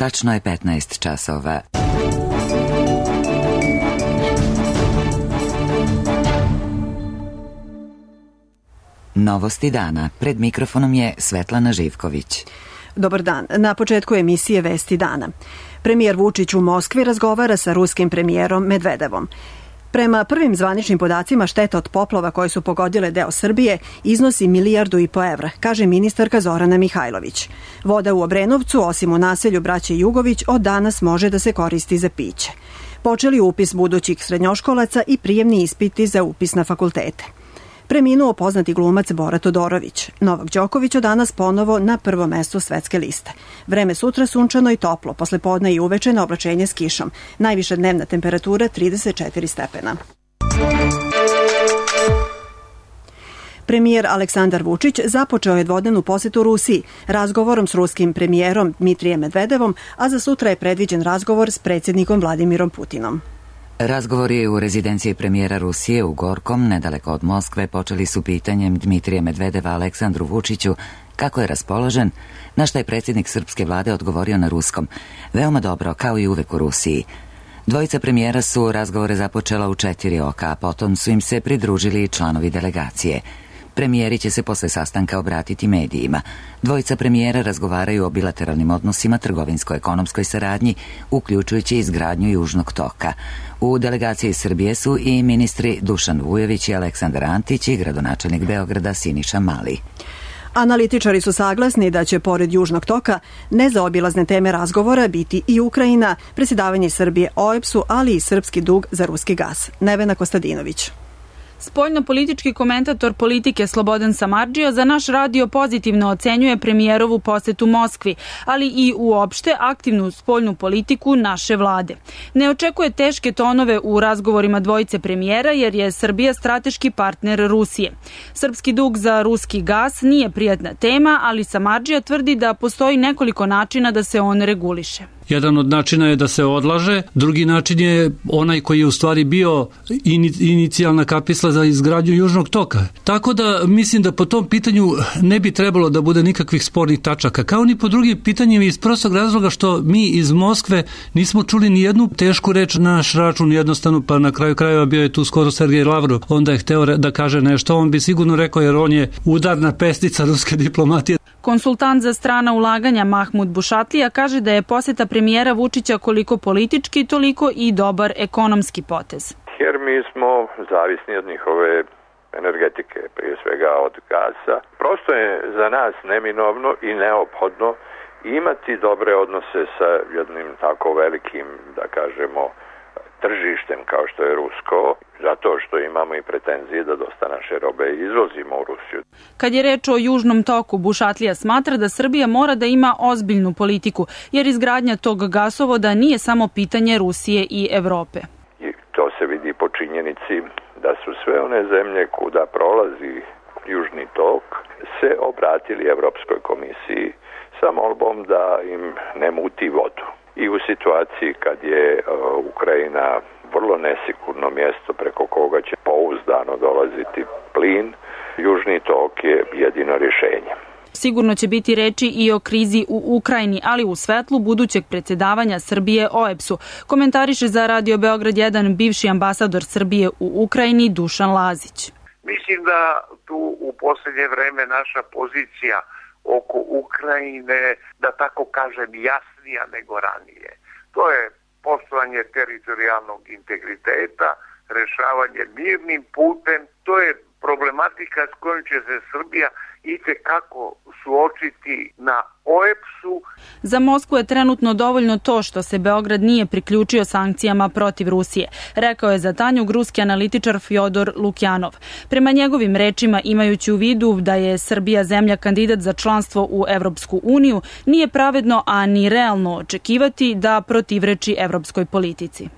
Tačno je 15 časova. Novosti dana. Pred mikrofonom je Svetlana Živković. Dobar dan. Na početku emisije Vesti dana. Premijer Vučić u Moskvi razgovara sa ruskim premijerom Medvedevom. Prema prvim zvaničnim podacima, šteta od poplava koje su pogodile deo Srbije iznosi 1,5 milijardu evra, kaže ministarka Zorana Mihajlović. Voda u Obrenovcu, osim u naselju braće Jugović, od danas može da se koristi za piće. Počeli upis budućih srednjoškolaca i prijemni ispiti za upis na fakultete. Preminuo poznati glumac Bora Todorović. Novak Đoković od danas ponovo na prvom mestu svetske liste. Vreme sutra sunčano i toplo, posle podne i uveče na oblačenje s kišom. Najviša dnevna temperatura 34 stepena. Premijer Aleksandar Vučić započeo je dvodnevnu posetu Rusiji razgovorom s ruskim premijerom Dmitrijem Medvedevom, a za sutra je predviđen razgovor s predsjednikom Vladimirom Putinom. Razgovori u rezidenciji premijera Rusije u Gorkom, nedaleko od Moskve, počeli su pitanjem Dmitrija Medvedeva Aleksandru Vučiću kako je raspoložen, na šta je predsjednik srpske vlade odgovorio na ruskom. Veoma dobro, kao i uvek u Rusiji. Dvojica premijera su razgovore započela u 4 oka, a potom su im se pridružili članovi delegacije. Premijeri će se posle sastanka obratiti medijima. Dvojica premijera razgovaraju o bilateralnim odnosima, trgovinsko-ekonomskoj saradnji, uključujući izgradnju Južnog toka. U delegaciji Srbije su i ministri Dušan Vujović i Aleksandar Antić i gradonačelnik Beograda Siniša Mali. Analitičari su saglasni da će, pored Južnog toka, nezaobilazne teme razgovora biti i Ukrajina, predsjedavanje Srbije OEBS-u, ali i srpski dug za ruski gas. Nevena Kostadinović. Spoljno-politički komentator Politike Slobodan Samardžija za naš radio pozitivno ocenjuje premijerovu posetu Moskvi, ali i uopšte aktivnu spoljnu politiku naše vlade. Ne očekuje teške tonove u razgovorima dvojice premijera jer je Srbija strateški partner Rusije. Srpski dug za ruski gas nije prijatna tema, ali Samardžija tvrdi da postoji nekoliko načina da se on reguliše. Jedan od načina je da se odlaže, drugi način je onaj koji je u stvari bio inicijalna kapisla za izgradnju Južnog toka. Tako da mislim da po tom pitanju ne bi trebalo da bude nikakvih spornih tačaka, kao ni po drugim pitanjima iz prostog razloga što mi iz Moskve nismo čuli ni jednu tešku reč na naš račun, jednostavno, pa na kraju krajeva bio je tu skoro Sergej Lavrov, onda je hteo da kaže nešto, on bi sigurno rekao jer on je udarna pestica ruske diplomatije. Konsultant za strana ulaganja Mahmud Bušatlija kaže da je poseta premijera Vučića koliko politički, toliko i dobar ekonomski potez. Jer mi smo zavisni od njihove energetike, prije svega od gasa. Prosto je za nas neminovno i neophodno imati dobre odnose sa jednim tako velikim, da kažemo, tržištem kao što je rusko, zato što imamo i pretenzije da dosta naše robe izvozimo u Rusiju. Kad je reč o Južnom toku, Bušatlija smatra da Srbija mora da ima ozbiljnu politiku, jer izgradnja tog gasovoda nije samo pitanje Rusije i Evrope. I to se vidi po činjenici da su sve one zemlje kuda prolazi Južni tok se obratili Evropskoj komisiji sa molbom da im ne muti vodu. I u situaciji kad je Ukrajina vrlo nesigurno mjesto preko koga će pouzdano dolaziti plin, Južni tok je jedino rješenje. Sigurno će biti reči i o krizi u Ukrajini, ali u svetlu budućeg predsjedavanja Srbije OEBS-u, komentariše za Radio Beograd 1 bivši ambasador Srbije u Ukrajini Dušan Lazić. Mislim da tu u posljednje vreme naša pozicija oko Ukrajine, da tako kažem, jasnija nego ranije. To je poštovanje teritorijalnog integriteta, rješavanje mirnim putem, to je problematika s kojom će se Srbija itekako suočiti na OEBS-u. Za Moskvu je trenutno dovoljno to što se Beograd nije priključio sankcijama protiv Rusije, rekao je za Tanjug ruski analitičar Fjodor Lukjanov. Prema njegovim rečima, imajući u vidu da je Srbija zemlja kandidat za članstvo u Evropsku uniju, nije pravedno, a ni realno očekivati da protivreči evropskoj politici.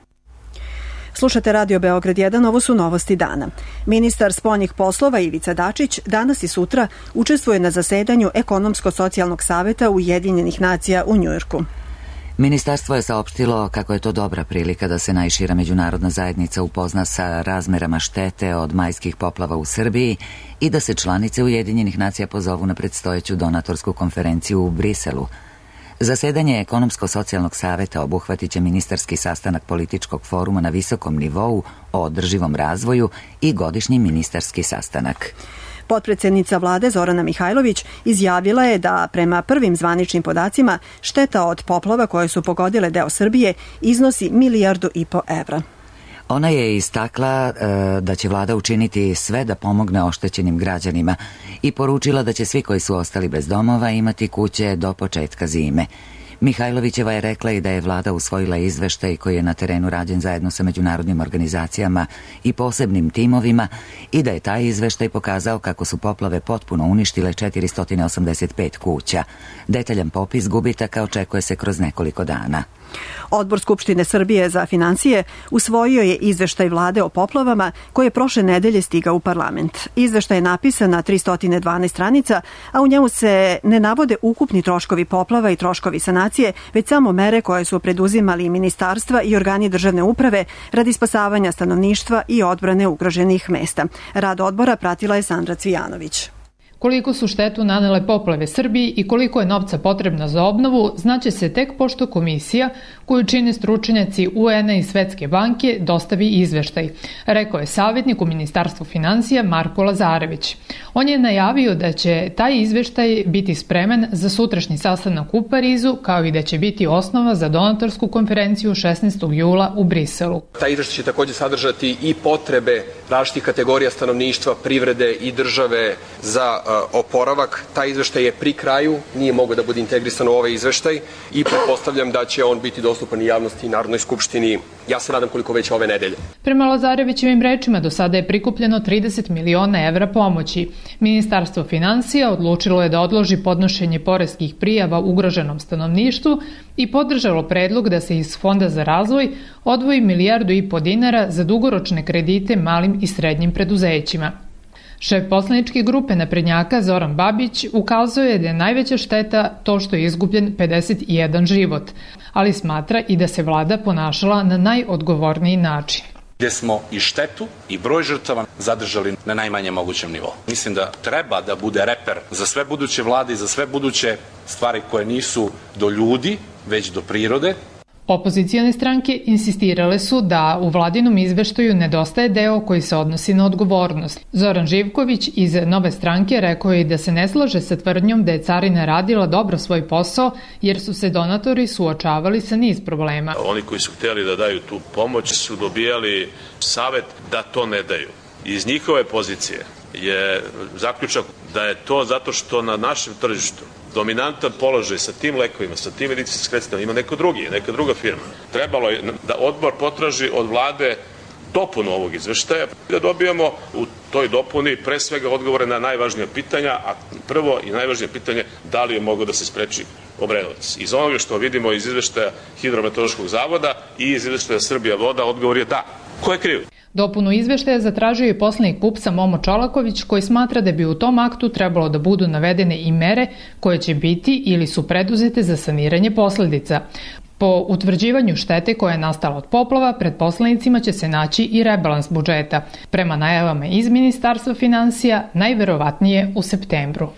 Slušate Radio Beograd 1, ovo su novosti dana. Ministar spoljnih poslova Ivica Dačić danas i sutra učestvuje na zasedanju Ekonomsko-socijalnog saveta Ujedinjenih nacija u Njujorku. Ministarstvo je saopštilo kako je to dobra prilika da se najšira međunarodna zajednica upozna sa razmerama štete od majskih poplava u Srbiji i da se članice Ujedinjenih nacija pozovu na predstojeću donatorsku konferenciju u Briselu. Zasedanje Ekonomsko-socijalnog saveta obuhvatit će ministarski sastanak političkog foruma na visokom nivou o održivom razvoju i godišnji ministarski sastanak. Potpredsednica vlade Zorana Mihajlović izjavila je da prema prvim zvaničnim podacima šteta od poplava koje su pogodile deo Srbije iznosi 1,5 milijardu evra. Ona je istakla da će vlada učiniti sve da pomogne oštećenim građanima i poručila da će svi koji su ostali bez domova imati kuće do početka zime. Mihajlovićeva je rekla i da je vlada usvojila izveštaj koji je na terenu rađen zajedno sa međunarodnim organizacijama i posebnim timovima i da je taj izveštaj pokazao kako su poplave potpuno uništile 485 kuća. Detaljan popis gubitaka očekuje se kroz nekoliko dana. Odbor Skupštine Srbije za finansije usvojio je izveštaj vlade o poplavama koji je prošle nedelje stigao u parlament. Izveštaj je napisan na 312 stranica, a u njemu se ne navode ukupni troškovi poplava i troškovi sanacije, već samo mere koje su preduzimali ministarstva i organi državne uprave radi spasavanja stanovništva i odbrane ugroženih mesta. Rad odbora pratila je Sandra Cvijanović. Koliko su štetu nanele poplave Srbiji i koliko je novca potrebno za obnovu, znaće se tek pošto komisija, koju čine stručnjaci UN-a i Svetske banke, dostavi izveštaj, rekao je savjetnik u Ministarstvu finansija Marko Lazarević. On je najavio da će taj izveštaj biti spreman za sutrašnji sastanak u Parizu, kao i da će biti osnova za donatorsku konferenciju 16. jula u Briselu. Taj izveštaj će također sadržati i potrebe različitih kategorija stanovništva, privrede i države za oporavak. Taj izveštaj je pri kraju, nije mogao da bude integrisan u ovaj izveštaj i pretpostavljam da će on biti dostupan i javnosti i Narodnoj skupštini. Ja se nadam koliko već ove nedelje. Prema Lazarevićevim rečima do sada je prikupljeno 30 miliona evra pomoći. Ministarstvo finansija odlučilo je da odloži podnošenje poreskih prijava ugroženom stanovništvu i podržalo predlog da se iz Fonda za razvoj odvoji 1,5 milijardu dinara za dugoročne kredite malim i srednjim preduzećima. Šef poslaničke grupe naprednjaka Zoran Babić ukazuje je da je najveća šteta to što je izgubljen 51 život, ali smatra i da se vlada ponašala na najodgovorniji način. Gde smo i štetu i broj žrtava zadržali na najmanje mogućem nivou. Mislim da treba da bude reper za sve buduće vlade i za sve buduće stvari koje nisu do ljudi, već do prirode. Opozicijone stranke insistirale su da u vladinom izveštaju nedostaje deo koji se odnosi na odgovornost. Zoran Živković iz Nove stranke rekao je da se ne slaže sa tvrdnjom da je carina radila dobro svoj posao jer su se donatori suočavali sa niz problema. Oni koji su htjeli da daju tu pomoć su dobijali savet da to ne daju. Iz njihove pozicije je zaključak da je to zato što na našem tržištu dominantan položaj sa tim lekovima, sa tim medicinskim sredstvima ima neka druga firma. Trebalo je da odbor potraži od vlade dopunu ovog izveštaja, da dobijemo u toj dopuni pre svega odgovore na najvažnija pitanja, a prvo i najvažnije pitanje da li je moglo da se spreči Obrenovac. Iz onoga što vidimo iz izveštaja Hidrometeorološkog zavoda i iz izveštaja Srbija voda, odgovor je da. Ko je kriv? Dopunu izveštaja zatražio je poslanik PUPS-a Momo Čolaković, koji smatra da bi u tom aktu trebalo da budu navedene i mere koje će biti ili su preduzete za saniranje posledica. Po utvrđivanju štete koja je nastala od poplava, pred poslanicima će se naći i rebalans budžeta. Prema najavama iz Ministarstva finansija, najverovatnije u septembru.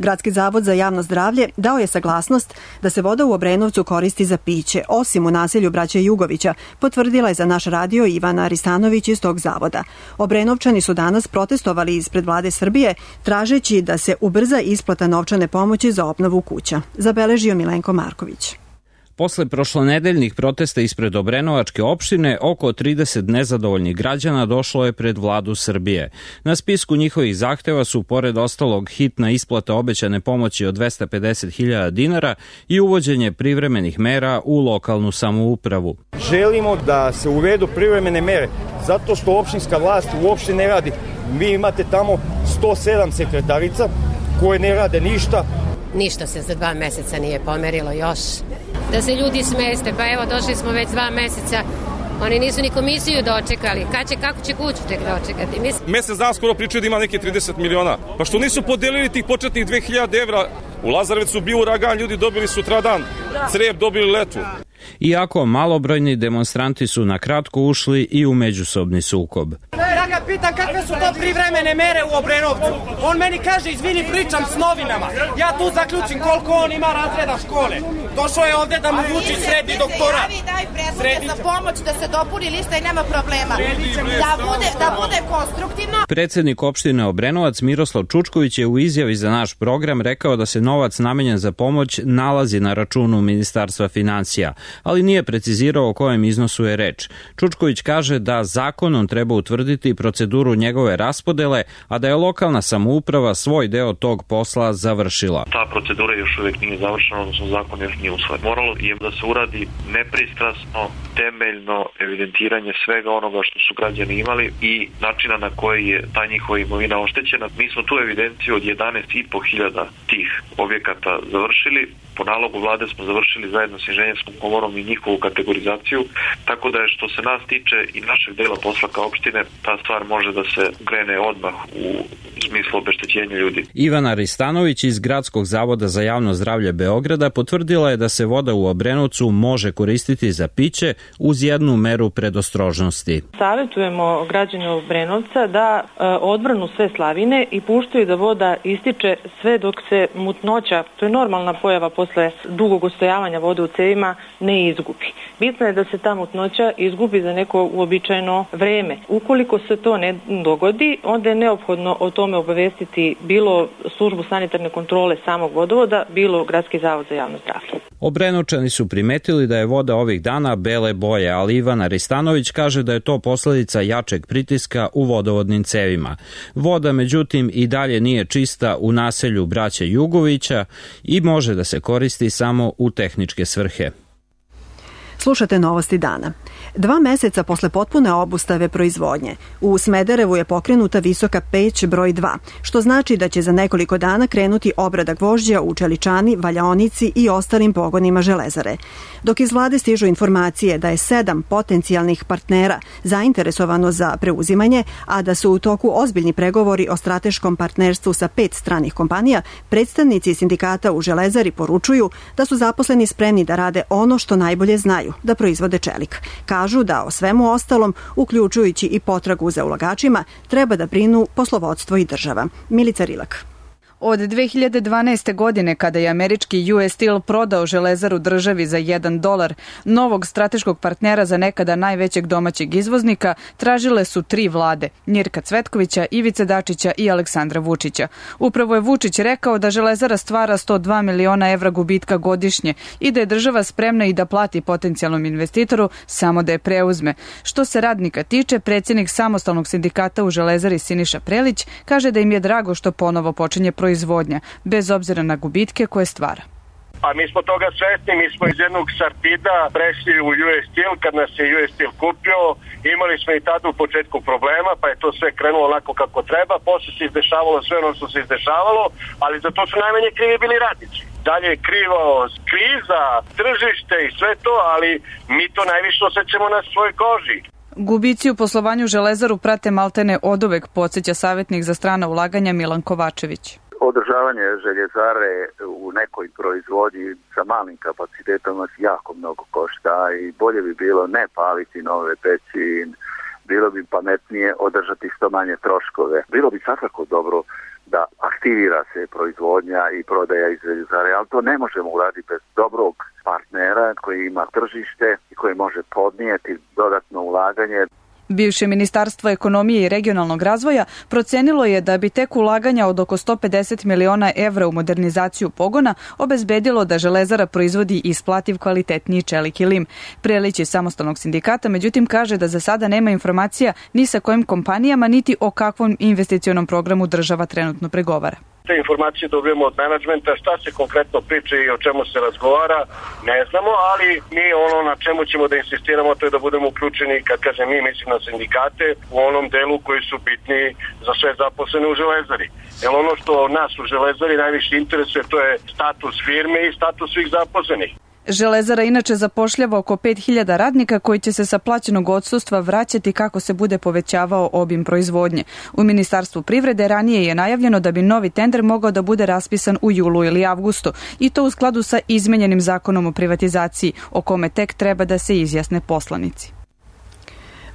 Gradski zavod za javno zdravlje dao je saglasnost da se voda u Obrenovcu koristi za piće, osim u naselju braće Jugovića, potvrdila je za naš radio Ivana Aristanović iz tog zavoda. Obrenovčani su danas protestovali ispred vlade Srbije, tražeći da se ubrza isplata novčane pomoći za obnovu kuća. Zabeležio Milenko Marković. Posle prošlonedeljnih protesta ispred Obrenovačke opštine, oko 30 nezadovoljnih građana došlo je pred vladu Srbije. Na spisku njihovih zahteva su, pored ostalog, hitna isplata obećane pomoći od 250.000 dinara i uvođenje privremenih mera u lokalnu samoupravu. Želimo da se uvedu privremene mere, zato što opštinska vlast uopšte ne radi. Vi imate tamo 107 sekretarica koje ne rade ništa. Ništa se za 2 meseca nije pomerilo još. Da se ljudi smeste, pa evo došli smo već 2 meseca, oni nisu ni komisiju dočekali, kako će kuću tek dočekati? Mesec dana skoro pričaju da ima neke 30 miliona, pa što nisu podelili tih početnih 2000 evra? U Lazarevcu bio uragan, ljudi dobili sutradan, Crep dobili letvu. Iako malobrojni demonstranti su na kratko ušli i u međusobni sukob. Draga pitam kakve su to privremene mere u Obrenovcu. On meni kaže, izvini, pričam s novinama. Ja tu zaključim koliko on ima razreda škole. Došao je ovde da mu Vučić sredi doktorat. Daj predloge za pomoć da se dopuni lista i nema problema. Da bude konstruktivno. Predsednik opštine Obrenovac Miroslav Čučković je u izjavi za naš program rekao da se novac namenjen za pomoć nalazi na računu Ministarstva finansija, ali nije precizirao o kojem iznosu je reč. Čučković kaže da zakonom treba utvrditi proceduru njegove raspodele, a da je lokalna samouprava svoj deo tog posla završila. Ta procedura još uvijek nije završena, odnosno zakon još nije usvojen. Moralo je da se uradi nepristrasno, temeljno evidentiranje svega onoga što su građani imali i načina na koji je ta njihova imovina oštećena. Mi smo tu evidenciju od 11.500 tih objekata završili. Po nalogu vlade smo završili zajedno s inženjerskom komorom i njihovu kategorizaciju, tako da je što se nas tiče i našeg dela posla kao opštine, ta stvar može da se krene odmah u smislu obeštećenja ljudi. Ivana Ristanović iz Gradskog zavoda za javno zdravlje Beograda potvrdila je da se voda u Obrenovcu može koristiti za piće uz jednu meru predostrožnosti. Savjetujemo građane Obrenovca da odvrnu sve slavine i puštaju da voda ističe sve dok se mutnoća, to je normalna pojava posle dugog ostojavanja vode u cevima, ne izgubi. Bitno je da se ta mutnoća izgubi za neko uobičajeno vreme. Ukoliko se to ne dogodi, onda je neophodno o tome obavestiti bilo službu sanitarne kontrole samog vodovoda, bilo Gradski zavod za javno zdravlje. Obrenovčani su primetili da je voda ovih dana bele boje, ali Ivana Ristanović kaže da je to posledica jačeg pritiska u vodovodnim cevima. Voda, međutim, i dalje nije čista u naselju braće Jugovića i može da se koristi samo u tehničke svrhe. Slušate novosti dana. 2 meseca posle potpune obustave proizvodnje, u Smederevu je pokrenuta visoka peć broj 2, što znači da će za nekoliko dana krenuti obrada gvožđa u čeličani, valjaonici i ostalim pogonima železare. Dok iz vlade stižu informacije da je 7 potencijalnih partnera zainteresovano za preuzimanje, a da su u toku ozbiljni pregovori o strateškom partnerstvu sa 5 stranih kompanija, predstavnici sindikata u železari poručuju da su zaposleni spremni da rade ono što najbolje znaju, da proizvode čelik. Kažu da o svemu ostalom, uključujući i potragu za ulagačima, treba da brinu poslovodstvo i država. Milica Rilak. Od 2012. godine, kada je američki US Steel prodao železaru državi za $1, novog strateškog partnera za nekada najvećeg domaćeg izvoznika tražile su 3 vlade, Mirka Cvetkovića, Ivice Dačića i Aleksandra Vučića. Upravo je Vučić rekao da železara stvara 102 miliona evra gubitka godišnje i da je država spremna i da plati potencijalnom investitoru samo da je preuzme. Što se radnika tiče, predsjednik samostalnog sindikata u železari Siniša Prelić kaže da im je drago što ponovo počinje proizvodnja, bez obzira na gubitke koje stvara. A mi smo toga svesni, mi smo iz jednog Sartida prešli u US Steel, kad nas je US Steel kupio, imali smo i tada u početku problema, pa je to sve krenulo onako kako treba, posle se izdešavalo sve ono što se izdešavalo, ali za to su najmanje krivi bili radnici. Dalje je krivo kriza, tržište i sve to, ali mi to najviše osjećamo na svojoj koži. Gubici u poslovanju železaru prate maltene oduvek, podsjeća savjetnik za strana ulaganja Milan Kovačević. Održavanje željezare u nekoj proizvodnji sa malim kapacitetom nas jako mnogo košta i bolje bi bilo ne paliti nove peći, bilo bi pametnije održati što manje troškove. Bilo bi svakako dobro da aktivira se proizvodnja i prodaja iz željezare, ali to ne možemo uraditi bez dobrog partnera koji ima tržište i koji može podnijeti dodatno ulaganje. Bivše Ministarstvo ekonomije i regionalnog razvoja procenilo je da bi tek ulaganja od oko 150 miliona evra u modernizaciju pogona obezbedilo da železara proizvodi isplativ kvalitetniji čelik i lim. Prelić iz samostalnog sindikata, međutim, kaže da za sada nema informacija ni sa kojim kompanijama, niti o kakvom investicionom programu država trenutno pregovara. Te informacije dobijemo od menadžmenta, šta se konkretno priča i o čemu se razgovara, ne znamo, ali mi ono na čemu ćemo da insistiramo to je da budemo uključeni, kad kažem mi, mislim na sindikate, u onom delu koji su bitni za sve zaposlene u železari. Jer ono što nas u železari najviše interesuje, to je status firme i status svih zaposlenih. Železara inače zapošljava oko 5.000 radnika koji će se sa plaćenog odsustva vraćati kako se bude povećavao obim proizvodnje. U Ministarstvu privrede ranije je najavljeno da bi novi tender mogao da bude raspisan u julu ili avgustu i to u skladu sa izmenjenim zakonom o privatizaciji, o kome tek treba da se izjasne poslanici.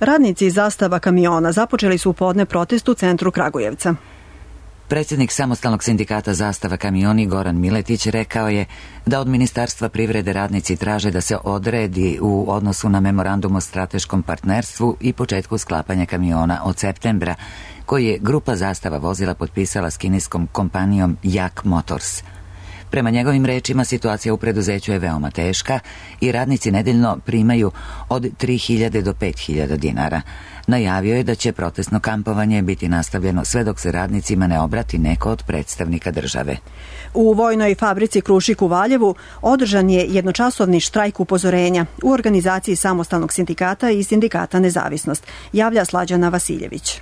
Radnici Zastava kamiona započeli su podne protest u centru Kragujevca. Predsjednik samostalnog sindikata Zastava kamioni Goran Miletić rekao je da od Ministarstva privrede radnici traže da se odredi u odnosu na memorandum o strateškom partnerstvu i početku sklapanja kamiona od septembra, koji je grupa Zastava vozila potpisala s kineskom kompanijom Jak Motors. Prema njegovim rečima, situacija u preduzeću je veoma teška i radnici nedeljno primaju od 3.000 do 5.000 dinara. Najavio je da će protestno kampovanje biti nastavljeno sve dok se radnicima ne obrati neko od predstavnika države. U vojnoj fabrici Krušik u Valjevu održan je jednočasovni štrajk upozorenja u organizaciji samostalnog sindikata i sindikata Nezavisnost, javlja Slađana Vasiljević.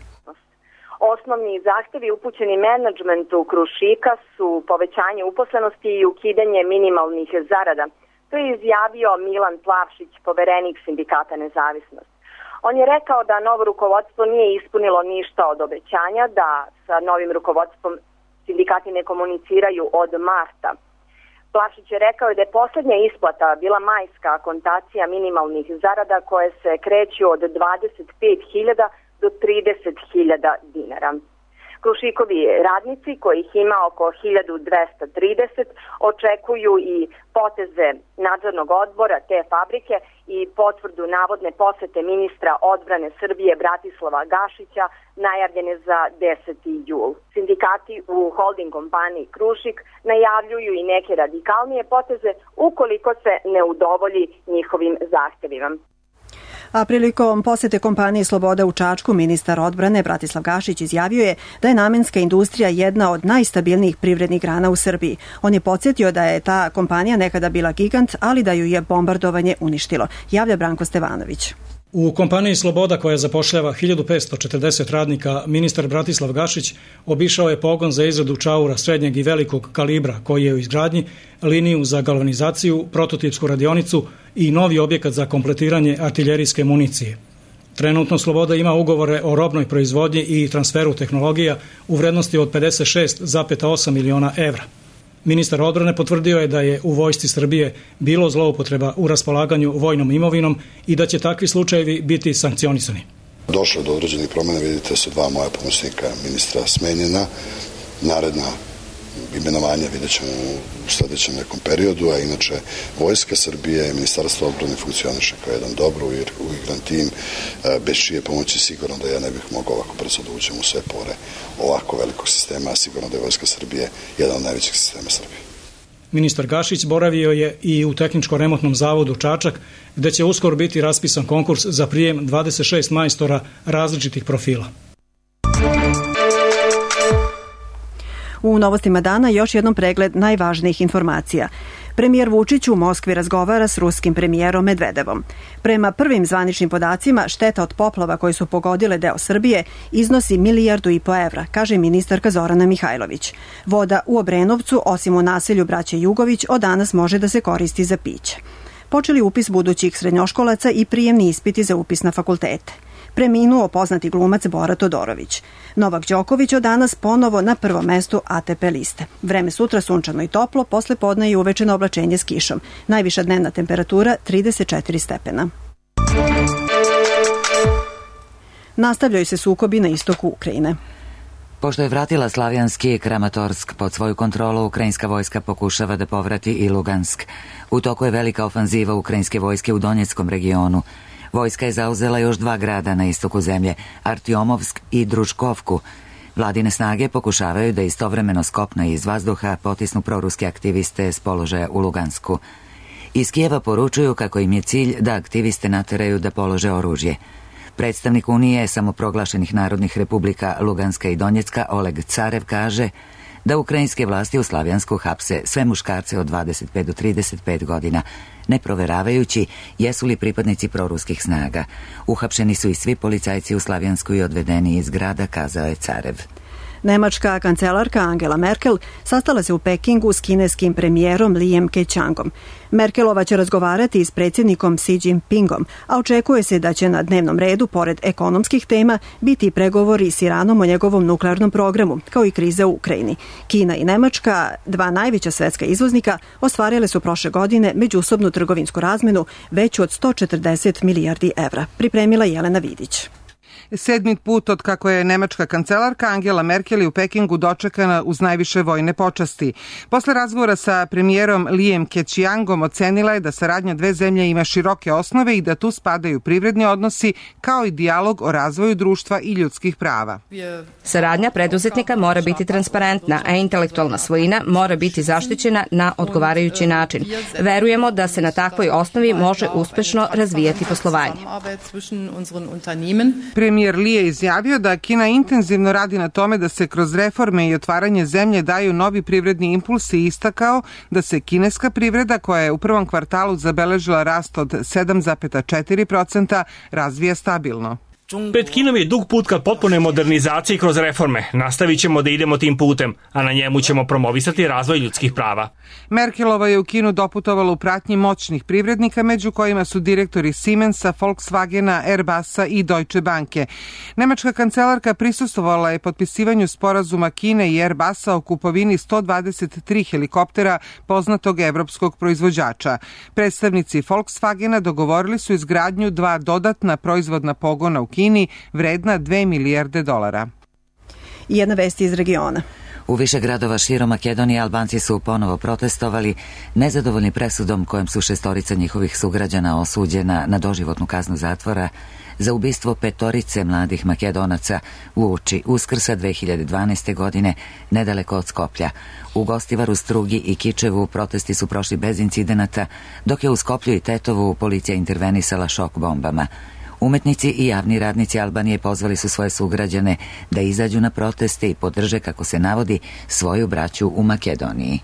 Osnovni zahtevi upućeni menadžmentu Krušika su povećanje uposlenosti i ukidanje minimalnih zarada. To je izjavio Milan Plavšić, poverenik sindikata Nezavisnost. On je rekao da novo rukovodstvo nije ispunilo ništa od obećanja, da sa novim rukovodstvom sindikati ne komuniciraju od marta. Plavšić je rekao da je posljednja isplata bila majska akontacija minimalnih zarada koje se kreću od 25.000 do 30.000 dinara. Krušikovi radnici, kojih ima oko 1230, očekuju i poteze nadzornog odbora te fabrike i potvrdu navodne posete ministra odbrane Srbije Bratislava Gašića najavljene za 10. jul. Sindikati u holding kompaniji Krušik najavljuju i neke radikalnije poteze ukoliko se ne udovolji njihovim zahtevima. A prilikom posete kompanije Sloboda u Čačku, ministar odbrane Bratislav Gašić izjavio je da je namenska industrija jedna od najstabilnijih privrednih grana u Srbiji. On je podsjetio da je ta kompanija nekada bila gigant, ali da ju je bombardovanje uništilo. Javlja Branko Stevanović. U kompaniji Sloboda, koja zapošljava 1540 radnika, ministar Bratislav Gašić obišao je pogon za izradu čaura srednjeg i velikog kalibra koji je u izgradnji, liniju za galvanizaciju, prototipsku radionicu i novi objekat za kompletiranje artiljerijske municije. Trenutno Sloboda ima ugovore o robnoj proizvodnji i transferu tehnologija u vrednosti od 56,8 miliona evra. Ministar odbrane potvrdio je da je u vojsci Srbije bilo zloupotreba u raspolaganju vojnom imovinom i da će takvi slučajevi biti sankcionisani. Došlo do određenih promjena, vidite su dva moja pomoćnika ministra smenjena, naredna imenovanja vidjet ćemo u sljedećem nekom periodu, a inače Vojska Srbije i Ministarstvo odbrane funkcioniše kao jedan dobro uigran tim, bez čije pomoći sigurno da ja ne bih mogao ovako brzo da uđem u sve pore ovako velikog sistema, a sigurno da je Vojska Srbije jedan od najvećih sistema Srbije. Ministar Gašić boravio je i u Tehničko-remontnom zavodu Čačak, gde će uskoro biti raspisan konkurs za prijem 26 majstora različitih profila. U novostima dana još jednom pregled najvažnijih informacija. Premijer Vučić u Moskvi razgovara s ruskim premijerom Medvedevom. Prema prvim zvaničnim podacima, šteta od poplava koje su pogodile deo Srbije iznosi 1,5 milijardu evra, kaže ministarka Zorana Mihajlović. Voda u Obrenovcu, osim u naselju braće Jugović, od danas može da se koristi za piće. Počeli upis budućih srednjoškolaca i prijemni ispiti za upis na fakultete. Preminuo poznati glumac Bora Todorović. Novak Đoković od danas ponovo na prvom mestu ATP liste. Vreme sutra sunčano i toplo, posle podne i uvečeno oblačenje s kišom. Najviša dnevna temperatura 34 stepena. Nastavljaju se sukobi na istoku Ukrajine. Pošto je vratila Slavjanski Kramatorsk pod svoju kontrolu, ukrajinska vojska pokušava da povrati i Lugansk. U toku je velika ofanziva ukrajinske vojske u Donjeckom regionu. Vojska je zauzela još 2 grada na istoku zemlje, Artiomovsk i Druškovku. Vladine snage pokušavaju da istovremeno s kopna i iz vazduha potisnu proruske aktiviste s položaja u Lugansku. Iz Kijeva poručuju kako im je cilj da aktiviste nateraju da polože oružje. Predstavnik Unije samoproglašenih narodnih republika Luganska i Donjecka Oleg Carev kaže da ukrajinske vlasti u Slavjansku hapse sve muškarce od 25 do 35 godina, ne proveravajući jesu li pripadnici proruskih snaga. Uhapšeni su i svi policajci u Slavjansku i odvedeni iz grada, kazao je Carev. Nemačka kancelarka Angela Merkel sastala se u Pekingu s kineskim premijerom Lijem Keqiangom. Merkelova će razgovarati s predsjednikom Xi Jinpingom, a očekuje se da će na dnevnom redu, pored ekonomskih tema, biti pregovori s Iranom o njegovom nuklearnom programu, kao i krize u Ukrajini. Kina i Nemačka, dva najveća svetska izvoznika, ostvarile su prošle godine međusobnu trgovinsku razmenu veću od 140 milijardi evra. Pripremila Jelena Vidić. 7. put od kako je nemačka kancelarka Angela Merkel u Pekingu dočekana uz najviše vojne počasti. Posle razgovora sa premijerom Lijem Keqiangom ocenila je da saradnja dve zemlje ima široke osnove i da tu spadaju privredni odnosi kao i dijalog o razvoju društva i ljudskih prava. Saradnja preduzetnika mora biti transparentna, a intelektualna svojina mora biti zaštićena na odgovarajući način. Verujemo da se na takvoj osnovi može uspešno razvijati poslovanje. Premijer Li je izjavio da Kina intenzivno radi na tome da se kroz reforme i otvaranje zemlje daju novi privredni impulsi i istakao da se kineska privreda, koja je u prvom kvartalu zabeležila rast od 7,4%, razvija stabilno. Pred Kinom je dug put ka potpunoj modernizaciji kroz reforme. Nastavit ćemo da idemo tim putem, a na njemu ćemo promovisati razvoj ljudskih prava. Merkelova je u Kinu doputovala u pratnji moćnih privrednika, među kojima su direktori Siemensa, Volkswagena, Airbusa i Deutsche Banke. Nemačka kancelarka prisustvovala je potpisivanju sporazuma Kine i Airbusa o kupovini 123 helikoptera poznatog evropskog proizvođača. Predstavnici Volkswagena dogovorili su izgradnju dva dodatna proizvodna pogona u Kini vredna $2 milijarde. I jedna vest iz regiona. U više gradova širom Makedonije Albanci su ponovo protestovali, nezadovoljni presudom kojom su 6 njihovih sugrađana osuđena na doživotnu kaznu zatvora za ubistvo 5 mladih Makedonaca uoči Uskrsa 2012. godine nedaleko od Skoplja. U Gostivaru, Strugi i Kičevu protesti su prošli bez incidenata, dok je u Skoplju i Tetovu policija intervenisala šok bombama. Umetnici i javni radnici Albanije pozvali su svoje sugrađane da izađu na proteste i podrže, kako se navodi, svoju braću u Makedoniji.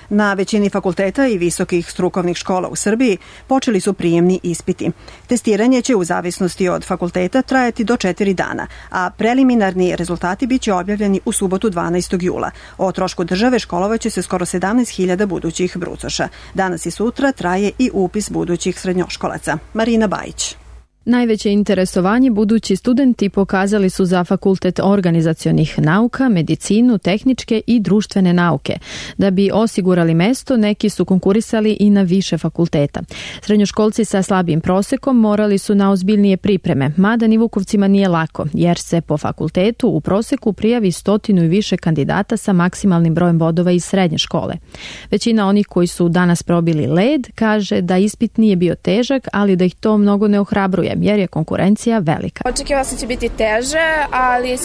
Na većini fakulteta i visokih strukovnih škola u Srbiji počeli su prijemni ispiti. Testiranje će u zavisnosti od fakulteta trajati do 4 dana, a preliminarni rezultati biće objavljeni u subotu 12. jula. O trošku države školovaće se skoro 17.000 budućih brucoša. Danas i sutra traje i upis budućih srednjoškolaca. Marina Bajić. Najveće interesovanje budući studenti pokazali su za Fakultet organizacionih nauka, medicinu, tehničke i društvene nauke. Da bi osigurali mesto, neki su konkurisali i na više fakulteta. Srednjoškolci sa slabijim prosekom morali su na ozbiljnije pripreme, mada ni Vukovcima nije lako, jer se po fakultetu u proseku prijavi 100 i više kandidata sa maksimalnim brojem bodova iz srednje škole. Većina onih koji su danas probili led kaže da ispit nije bio težak, ali da ih to mnogo ne ohrabruje, jer je konkurencija velika. Očekivala sam će biti teže, ali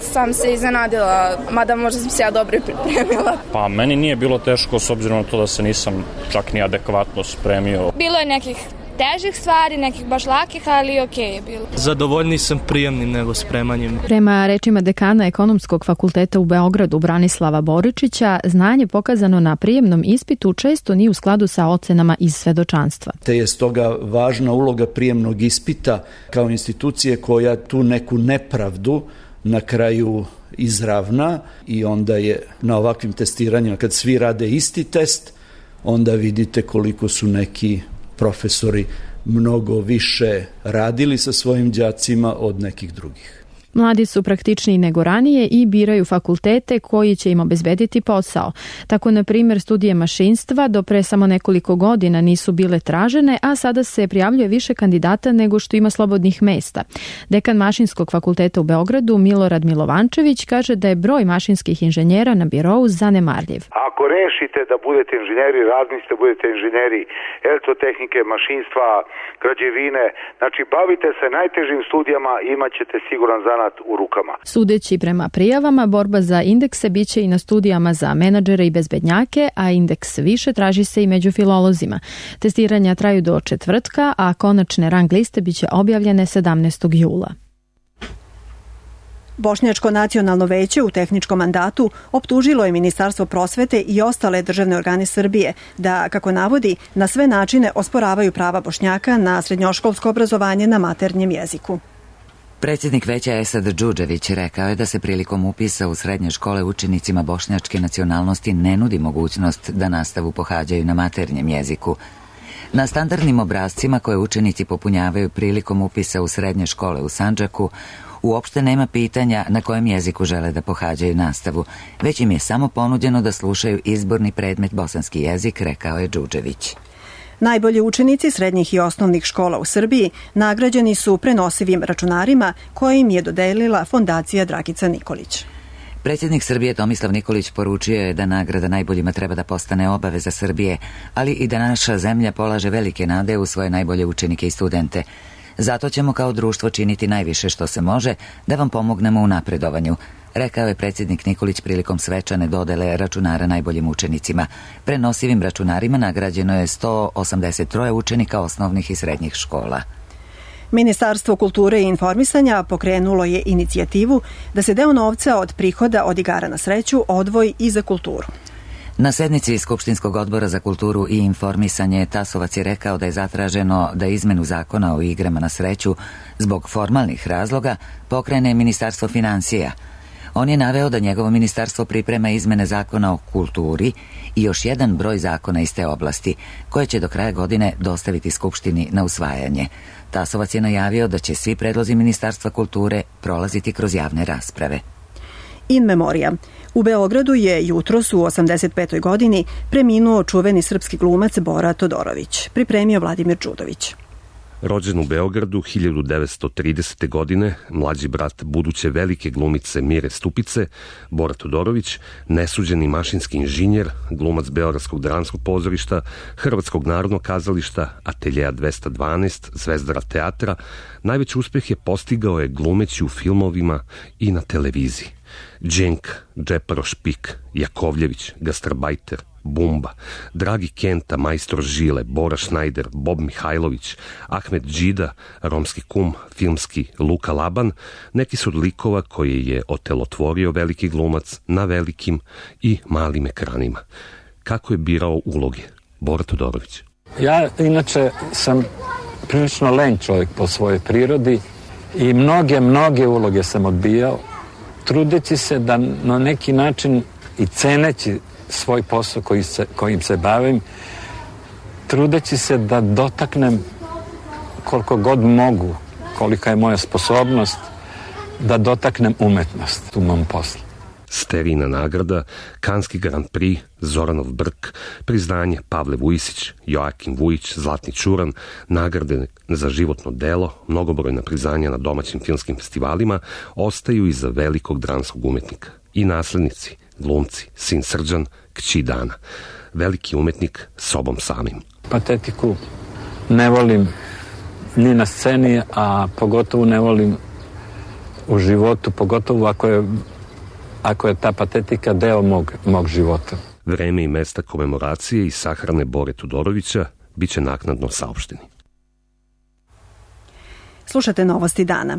sam se iznenadila, mada možda sam se ja dobro pripremila. Pa meni nije bilo teško s obzirom na to da se nisam čak ni adekvatno spremio. Bilo je nekih težih stvari, nekih baš lakih, ali okej je bilo. Zadovoljniji sam prijemnim nego spremanjem. Prema rečima dekana Ekonomskog fakulteta u Beogradu Branislava Boričića, znanje pokazano na prijemnom ispitu često nije u skladu sa ocenama iz svedočanstva. Te je stoga važna uloga prijemnog ispita kao institucije koja tu neku nepravdu na kraju izravna i onda je na ovakvim testiranjima, kad svi rade isti test, onda vidite koliko su neki profesori mnogo više radili sa svojim đacima od nekih drugih. Mladi su praktičniji nego ranije i biraju fakultete koji će im obezbediti posao. Tako, na primjer, studije mašinstva do pre samo nekoliko godina nisu bile tražene, a sada se prijavljuje više kandidata nego što ima slobodnih mesta. Dekan Mašinskog fakulteta u Beogradu Milorad Milovančević kaže da je broj mašinskih inženjera na birou zanemarljiv. Ako rešite da budete inženjeri, razmislite budete inženjeri elektrotehnike, mašinstva, građevine, znači bavite se najtežim studijama i imat ćete siguran zanat u rukama. Sudeći prema prijavama, borba za indekse biće i na studijama za menadžere i bezbednjake, a indeks više traži se i među filolozima. Testiranja traju do četvrtka, a konačne rang liste biće objavljene 17. jula. Bošnjačko nacionalno veće u tehničkom mandatu optužilo je Ministarstvo prosvete i ostale državne organe Srbije da, kako navodi, na sve načine osporavaju prava Bošnjaka na srednjoškolsko obrazovanje na maternjem jeziku. Predsjednik veća Esad Džudžević rekao je da se prilikom upisa u srednje škole učenicima bošnjačke nacionalnosti ne nudi mogućnost da nastavu pohađaju na maternjem jeziku. Na standardnim obrascima koje učenici popunjavaju prilikom upisa u srednje škole u Sandžaku uopšte nema pitanja na kojem jeziku žele da pohađaju nastavu, već im je samo ponuđeno da slušaju izborni predmet bosanski jezik, rekao je Džudžević. Najbolji učenici srednjih i osnovnih škola u Srbiji nagrađeni su prenosivim računarima koje im je dodelila Fondacija Dragica Nikolić. Predsjednik Srbije Tomislav Nikolić poručio je da nagrada najboljima treba da postane obaveza Srbije, ali i da naša zemlja polaže velike nade u svoje najbolje učenike i studente. Zato ćemo kao društvo činiti najviše što se može da vam pomognemo u napredovanju, rekao je predsjednik Nikolić prilikom svečane dodele računara najboljim učenicima. Prenosivim računarima nagrađeno je 183 učenika osnovnih i srednjih škola. Ministarstvo kulture i informisanja pokrenulo je inicijativu da se deo novca od prihoda od igara na sreću odvoji i za kulturu. Na sednici Skupštinskog odbora za kulturu i informisanje Tasovac je rekao da je zatraženo da izmenu zakona o igrama na sreću zbog formalnih razloga pokrene Ministarstvo financija. On je naveo da njegovo ministarstvo priprema izmene zakona o kulturi i još jedan broj zakona iz te oblasti, koje će do kraja godine dostaviti Skupštini na usvajanje. Tasovac je najavio da će svi predlozi Ministarstva kulture prolaziti kroz javne rasprave. In memoria. U Beogradu je jutros u 85. godini preminuo čuveni srpski glumac Bora Todorović, pripremio Vladimir Đudović. Rođen u Beogradu 1930. godine, mlađi brat buduće velike glumice Mire Stupice, Bora Todorović, nesuđeni mašinski inženjer, glumac Beogradskog dramskog pozorišta, Hrvatskog narodnog kazališta, Ateljeja 212, Zvezdara teatra, najveći uspeh je postigao je glumeći u filmovima i na televiziji. Dženk, Džeparo Špik, Jakovljević, Gastarbajter, Bumba, Dragi Kenta, Majstor Žile, Bora Šnajder, Bob Mihajlović, Ahmet Đida, Romski kum, filmski Luka Laban, neki su od likova koje je otelotvorio veliki glumac na velikim i malim ekranima. Kako je birao uloge? Bora Todorović. Ja inače sam prilično len čovjek po svojoj prirodi i mnoge uloge sam odbijao, trudeći se da na neki način i ceneći svoj posao kojim se bavim, trudeći se da dotaknem koliko god mogu, kolika je moja sposobnost, da dotaknem umetnost u mom poslu. Sterijina nagrada, Kanski Grand Prix, Zoranov Brk, priznanje Pavle Vujisić, Joakim Vujić, Zlatni Čuran, nagrade za životno delo, mnogobrojna priznanja na domaćim filmskim festivalima ostaju iza velikog dramskog umetnika. I naslednici, glumci, sin Srđan, kći Dana. Veliki umetnik sobom samim. Patetiku ne volim ni na sceni, a pogotovo ne volim u životu, pogotovo ako je ta patetika deo mog života. Vreme i mesta komemoracije i sahrane Bore Todorovića biće naknadno saopšteni. Slušate Novosti dana.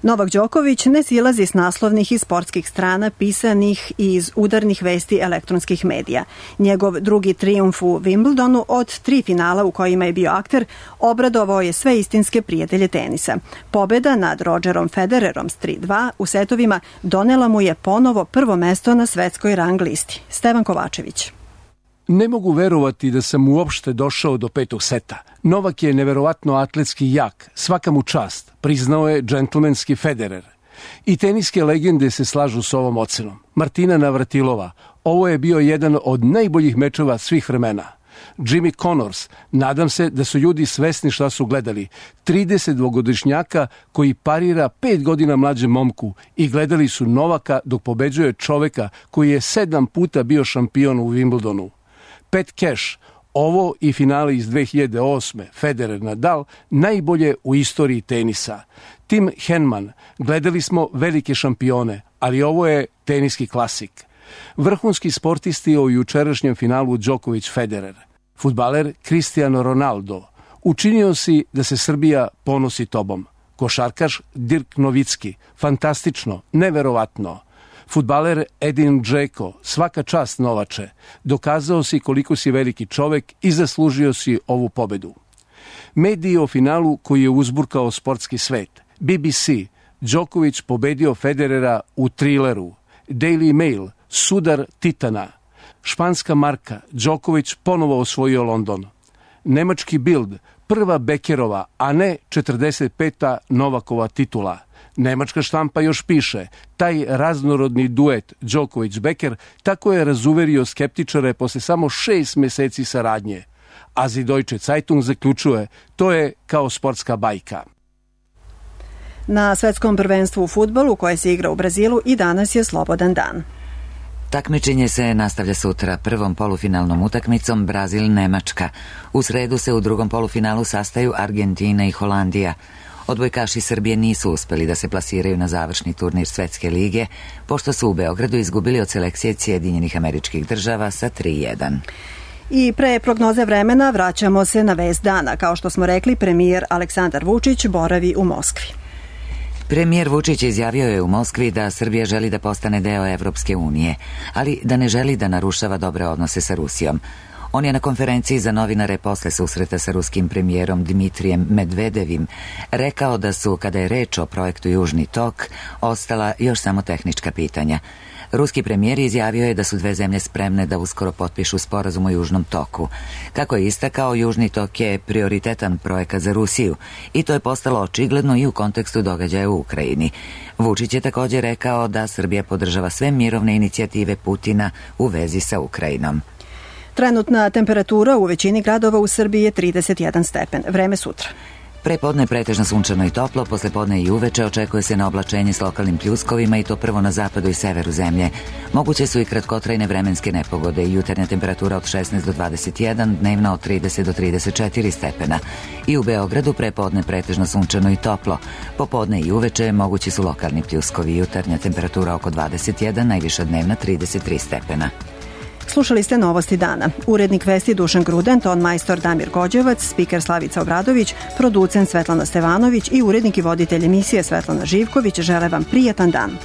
Novak Đoković ne silazi s naslovnih i sportskih strana pisanih i iz udarnih vesti elektronskih medija. Njegov drugi trijumf u Wimbledonu od 3 finala u kojima je bio akter obradovao je sve istinske prijatelje tenisa. Pobeda nad Rodgerom Federerom s 3-2 u setovima donela mu je ponovo prvo mesto na svetskoj rang listi. Stevan Kovačević. Ne mogu verovati da sam uopšte došao do 5. seta. Novak je neverovatno atletski jak, svaka mu čast, priznao je džentlmenski Federer. I teniske legende se slažu s ovom ocenom. Martina Navratilova, ovo je bio jedan od najboljih mečeva svih vremena. Jimmy Connors, nadam se da su ljudi svesni šta su gledali. 32-godišnjaka koji parira 5 godina mlađem momku i gledali su Novaka dok pobeđuje čoveka koji je 7 puta bio šampion u Wimbledonu. Pat Cash, ovo i finale iz 2008. Federer Nadal, najbolje u istoriji tenisa. Tim Henman, gledali smo velike šampione, ali ovo je teniski klasik. Vrhunski sportisti o jučerašnjem finalu Đoković-Federer. Fudbaler Cristiano Ronaldo, učinio si da se Srbija ponosi tobom. Košarkaš Dirk Novicki, fantastično, neverovatno. Fudbaler Edin Džeko, svaka čast Novače, dokazao si koliko si veliki čovek i zaslužio si ovu pobedu. Mediji o finalu koji je uzburkao sportski svet, BBC, Đoković pobedio Federera u Trileru. Daily Mail, sudar Titana. Španska marka, Đoković ponovo osvojio London. Nemački Bild, prva Bekerova, a ne 45. Novakova titula. Nemačka štampa još piše, taj raznorodni duet Đoković-Beker tako je razuverio skeptičare posle samo 6 meseci saradnje. A Die Deutsche Zeitung zaključuje, to je kao sportska bajka. Na svetskom prvenstvu u fudbalu koje se igra u Brazilu i danas je slobodan dan. Takmičenje se nastavlja sutra prvom polufinalnom utakmicom Brazil-Nemačka. U sredu se u drugom polufinalu sastaju Argentina i Holandija. Odbojkaši Srbije nisu uspeli da se plasiraju na završni turnir Svetske lige, pošto su u Beogradu izgubili od selekcije Sjedinjenih Američkih Država sa 3:1. I pre prognoze vremena vraćamo se na vest dana. Kao što smo rekli, premijer Aleksandar Vučić boravi u Moskvi. Premijer Vučić izjavio je u Moskvi da Srbija želi da postane deo Evropske unije, ali da ne želi da narušava dobre odnose sa Rusijom. On je na konferenciji za novinare posle susreta sa ruskim premijerom Dmitrijem Medvedevim rekao da su, kada je reč o projektu Južni tok, ostala još samo tehnička pitanja. Ruski premijer izjavio je da su dve zemlje spremne da uskoro potpišu sporazum o Južnom toku. Kako je istakao, Južni tok je prioritetan projekat za Rusiju i to je postalo očigledno i u kontekstu događaja u Ukrajini. Vučić je također rekao da Srbija podržava sve mirovne inicijative Putina u vezi sa Ukrajinom. Trenutna temperatura u većini gradova u Srbiji je 31 stepen. Vreme sutra. Prepodne pretežno sunčano i toplo, poslepodne i uveče očekuje se na oblačenje s lokalnim pljuskovima i to prvo na zapadu i severu zemlje. Moguće su i kratkotrajne vremenske nepogode i jutarnja temperatura od 16 do 21, dnevna od 30 do 34 stepena. I u Beogradu prepodne pretežno sunčano i toplo. Popodne i uveče mogući su lokalni pljuskovi, jutarnja temperatura oko 21, najviša dnevna 33 stepena. Slušali ste Novosti dana. Urednik vesti Dušan Gruden, ton majstor Damir Gođevac, spiker Slavica Obradović, producent Svetlana Stevanović i urednik i voditelj emisije Svetlana Živković žele vam prijatan dan.